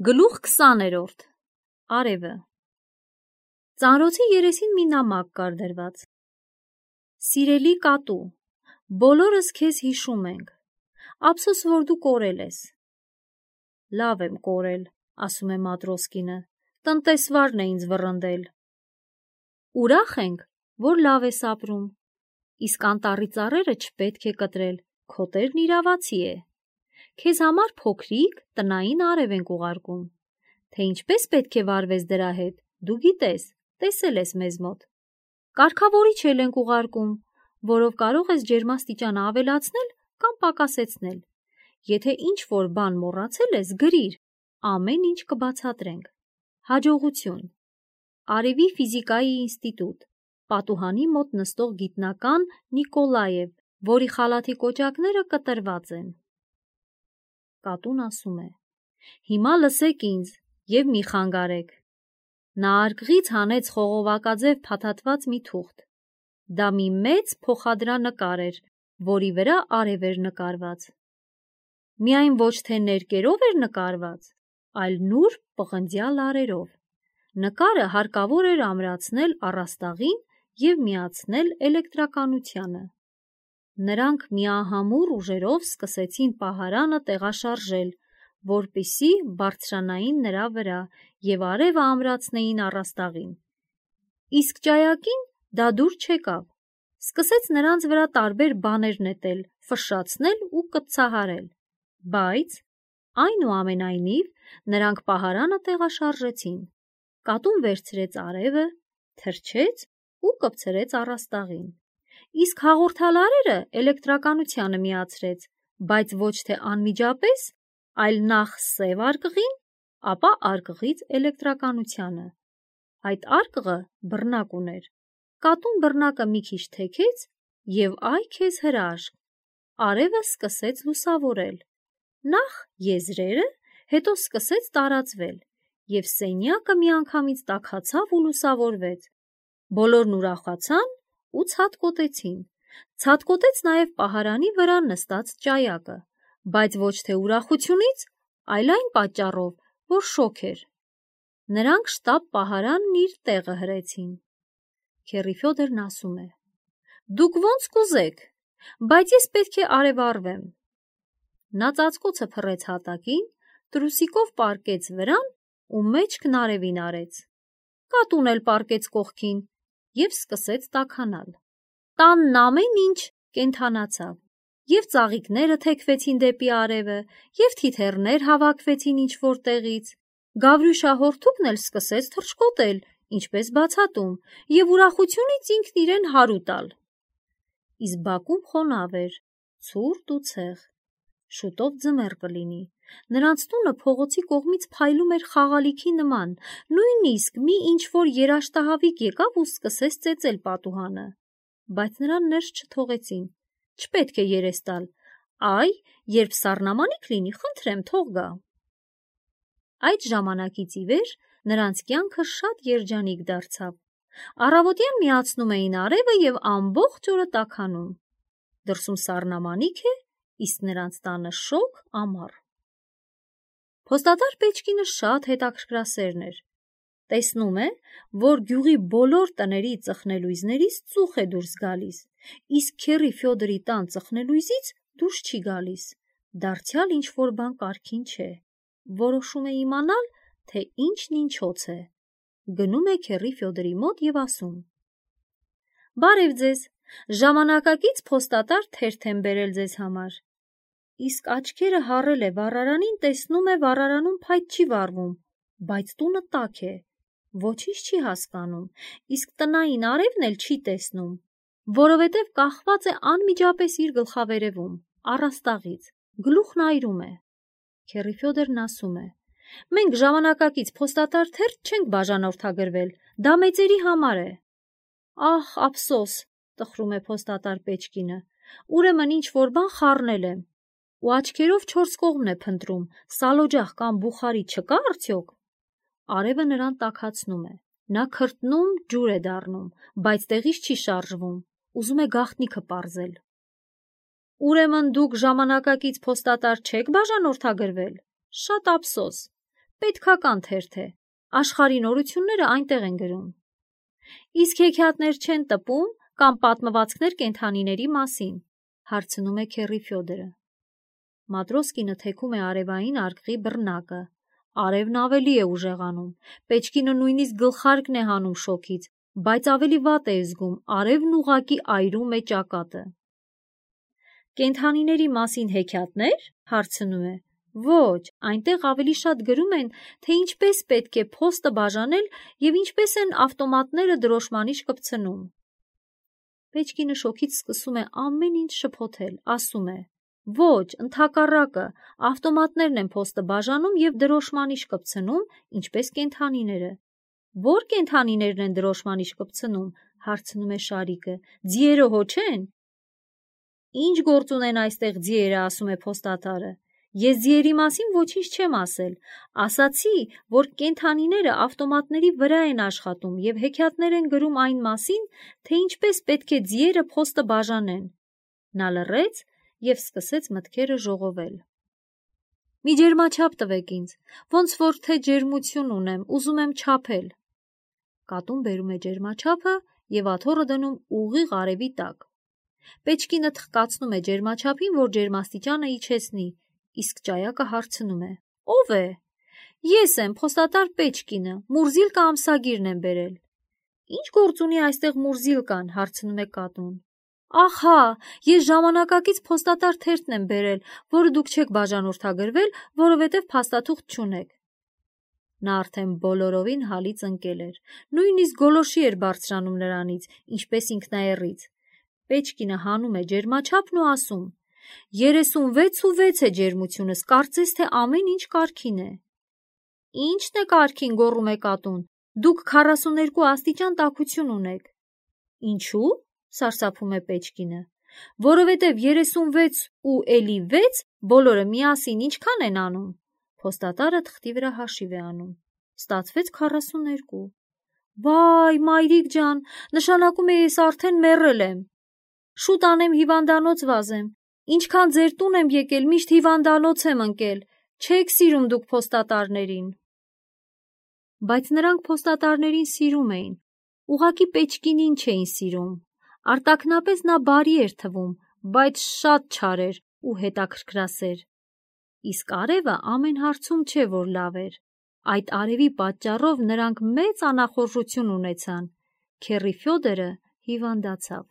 Գլուխ 20-րդ Արևը Ծանրոցի երեսին մի նամակ կար դրված. Սիրելի կատու, բոլորս քեզ հիշում ենք, ափսոս որ դու կորել ես։ Լավ եմ կորել, ասում է Մատրոսկինը, տնտեսվարն է ինձ վռնդել։ Ուրախ ենք, որ լավ ես ապրում, իսկ անտառի ծառերը չպետք է կտրել, քո տերն իրավացի է։ Քեզ համար փոքրիկ տնային արև ենք ուղարկում, թե ինչպես պետք է վարվես դրա հետ, դու գիտես, տեսել ես մեզ մոտ։ Կարգավորիչ էլ ենք ուղարկում, որով կարող ես ջերմաստիճանը ավելացնել կամ պակասեցնել։ Եթե ինչ-որ բան մոռացել ես, գրիր, ամեն ինչ կբացատրենք։ Հաջողություն։ Արևի ֆիզիկայի ինստիտուտ, պատուհանի մոտ նստող գիտնական Նիկոլաև, որի խալաթի կոճակները կտրված են։ Կատուն ասում է. Հիմա լսեք ինձ և մի խանգարեք։ Նա արկղից հանեց խողովակաձև փաթաթված մի թուղթ։ Դա մի մեծ փոխադրանկար էր, որի վրա արև էր նկարված։ Միայն ոչ թե ներկերով էր նկարված, այլ նուրբ պղնձյալ լարերով։ Նկարը հարկավոր էր ամրացնել առաստաղին և միացնել էլեկտրականությանը։ Նրանք միահամուռ ուժերով սկսեցին պահարանը տեղաշարժել, որպեսզի բարձրանային նրա վրա և արևը ամրացնեին առաստաղին։ Իսկ ճայակին դա դուր չեկավ, սկսեց նրանց վրա տարբեր բաներ նետել, ֆշշացնել ու կծցահարել, բայց, այնուամենայնիվ, նրանք պահարանը տեղաշարժեցին։ Կատուն վերցրեց արևը, թրջեց ու կպցրեց առաստաղին։ Իսկ հաղորդալարերը էլեկտրականությանը միացրեց, բայց ոչ թե անմիջապես, այլ նախ սև արկղին, ապա արկղից էլեկտրականությանը։ Այդ արկղը բռնակ ուներ։ Կատուն բռնակը մի քիչ թեքեց և այ քեզ հրաշք, արևը սկսեց լուսավորել։ Նախ եզրերը, հետո սկսեց տարածվել, և սենյակը միանգամից տաքացավ ու լուսավորվեց։ Բոլորն ուրախացան ու ցատկոտեցին։ Ցատկոտեց նաև պահարանի վրա նստած ճայակը, բայց ոչ թե ուրախությունից, այլ այն պատճառով, որ շոգ էր։ Նրանք շտապ պահարանն իր տեղը հրեցին։ Քեռի Ֆյոդորն ասում է. Դուք ոնց կուզեք, բայց ես պետք է արևառվեմ։ Նա ծածկոցը փռեց հատակին, տրուսիկով պառկեց վրան ու մեջքն արևին արեց։ Կատուն էլ պառկեց կողքին և սկսեց տաքանալ։ Տանն ամեն ինչ կենդանացավ, և ծաղիկները թեքվեցին դեպի արևը, և թիթեռներ հավաքվեցին ինչ-որ տեղից։ Գավրյուշահորդուկն էլ սկսեց թռչկոտել, ինչպես բացատում, և ուրախությունից ինքն իրեն հարու տալ։ Իսկ բակում խոնավ էր, ցուրտ ու ցեղ։ Շուտով ձմեռ կլինի։ Նրանց տունը փողոցի կողմից փայլում էր խաղալիքի նման, նույնիսկ մի ինչ-որ երաշտահավիք եկավ ու սկսեց ծեծել պատուհանը, բայց նրան ներս չթողեցին։ Չպետք է երես տալ, այ, երբ սառնամանիք լինի, խնդրեմ, թող գա։ Այդ ժամանակից ի վեր նրանց կյանքը շատ երջանիկ դարձավ։ Առավոտյան միացնում էին արևը և ամբողջ օրը տաքանում։ Դրսում սառնամանիք է, իսկ նրանց տանը շոգ ամառ։ Փոստատար Պեչկինը շատ հետաքրքրասերն էր։ Տեսնում է, որ գյուղի բոլոր տների ծխնելույզներից ծուխ է դուրս գալիս, իսկ քեռի Ֆյոդորի տան ծխնելույզից դուրս չի գալիս։ Դարձյալ ինչ-որ բան կարգին չէ։ Որոշում է իմանալ, թե ինչն ինչոց է։ Գնում է քեռի Ֆյոդորի մոտ և ասում. Բարև ձեզ, ժամանակակից փոստատար թերթ եմ բերել ձեզ համար։ Իսկ աչքերը հառել է վառարանին, տեսնում է վառարանում փայտ չի վառվում, բայց տունը տաք է, ոչինչ չի հասկանում, իսկ տնային արևն էլ չի տեսնում, որովհետև կախված է անմիջապես իր գլխավերևում, առաստաղից, գլուխն այրում է։ Քեռի Ֆյոդորն ասում է. Մենք ժամանակակից փոստատար թերթ չենք բաժանորդագրվել, դա մեծերի համար է։ Ահ, ափսոս, տխրում է փոստատար Պեչկինը, ուրեմն ինչ-որ բան խառնել եմ։ Ու աչքերով չորս կողմն է փնտրում, սալօջախ կամ բուխարի չկա արդյոք։ Արևը նրան տաքացնում է։ Նա քրտնում, ջուր է դառնում, բայց տեղից չի շարժվում, ուզում է գաղտնիքը պարզել։ Ուրեմն դուք ժամանակակից փոստատար չեք բաժանորդագրվել։ Շատ ափսոս։ պետքական թերթ է, աշխարհի նորությունները այնտեղ են գրում։ Իսկ հեքիաթներ չեն տպում կամ պատմվածքներ կենդանիների մասին, հարցնում է Քերի Ֆյոդորը։ Մատրոսկինը թեքում է արևային արկղի բռնակը, արևն ավելի է ուժեղանում, Պեչկինը նույնիսկ գլխարկն է հանում շոքից, բայց ավելի վատ է զգում, արևն ուղղակի այրում է ճակատը։ Կենդանիների մասին հեքիաթներ, հարցնում է։ Ոչ, այնտեղ ավելի շատ գրում են, թե ինչպես պետք է փոստը բաժանել և ինչպես են ավտոմատները դրոշմանիչ կպցնում։ Պեչկինը շոքից սկսում է ամեն ինչ շփոթել, ասում է. Ոչ, ընդհակառակը, ավտոմատներն են փոստը բաժանում և դրոշմանիչ կպցնում, ինչպես կենդանիները։ Ո՞ր կենդանիներն են դրոշմանիչ կպցնում, հարցնում է Շարիկը, ձիերը հո չեն։ Ինչ գործ ունեն այստեղ ձիերը, ասում է փոստատարը։ Ես ձիերի մասին ոչինչ չեմ ասել, ասացի, որ կենդանիները ավտոմատների վրա են աշխատում և հեքիաթներ են գրում այն մասին, թե ինչպես պետք է ձիերը փոստը բաժանեն։ Նա լռեց և սկսեց մտքերը ժողովել։ Մի ջերմաչափ տվեք ինձ, ոնց որ թե ջերմություն ունեմ, ուզում եմ չափել։ Կատուն բերում է ջերմաչափը և աթոռը դնում ուղիղ արևի տակ։ Պեչկինը թխկացնում է ջերմաչափին, որ ջերմաստիճանը իջեցնի, իսկ ճայակը հարցնում է. Ո՞վ է։ Ես եմ, փոստատար Պեչկինը, Մուրզիլկա ամսագիրն եմ բերել։ Ինչ գործ ունի այստեղ Մուրզիլկան, հարցնում է կատուն։ Ահա, ես ժամանակակից փոստատար թերթն եմ բերել, որը դուք չեք բաժանորդագրվել, որովհետև փաստաթուղթ չունեք։ Նա արդեն բոլորովին հալից ընկել էր, նույնիսկ գոլորշի էր բարձրանում նրանից, ինչպես ինքնաեռից։ Պեչկինը հանում է ջերմաչափն ու ասում. 36.6 է ջերմությունս, կարծես թե ամեն ինչ կարգին է։ Ի՞նչն է կարգին, գոռում է կատուն, դուք 42 աստիճան տաքություն ունեք։ Ինչու՞, սարսափում է Պեչկինը։ Որովհետև 36 ու էլի 6 բոլորը միասին ինչքան են անում։ Փոստատարը թղթի վրա հաշիվ է անում։ Ստացվեց 42։ Վայ, մայրիկ ջան, նշանակում է ես արդեն մեռել եմ։ Շուտ անեմ հիվանդանոց վազեմ։ Ինչքան ձեր տուն եմ եկել, միշտ հիվանդանոց եմ ընկել։ Չեք սիրում դուք փոստատարներին։ Բայց նրանք փոստատարներին սիրում էին, ուղղակի Պեչկինին չէին սիրում։ Արտաքնապես նա բարի էր թվում, բայց շատ չար էր ու հետաքրքրասեր։ Իսկ արևը ամեն հարցում չէ, որ լավ էր։ Այդ արևի պատճառով նրանք մեծ անախորժություն ունեցան։ Քերի Ֆյոդորը հիվանդացավ։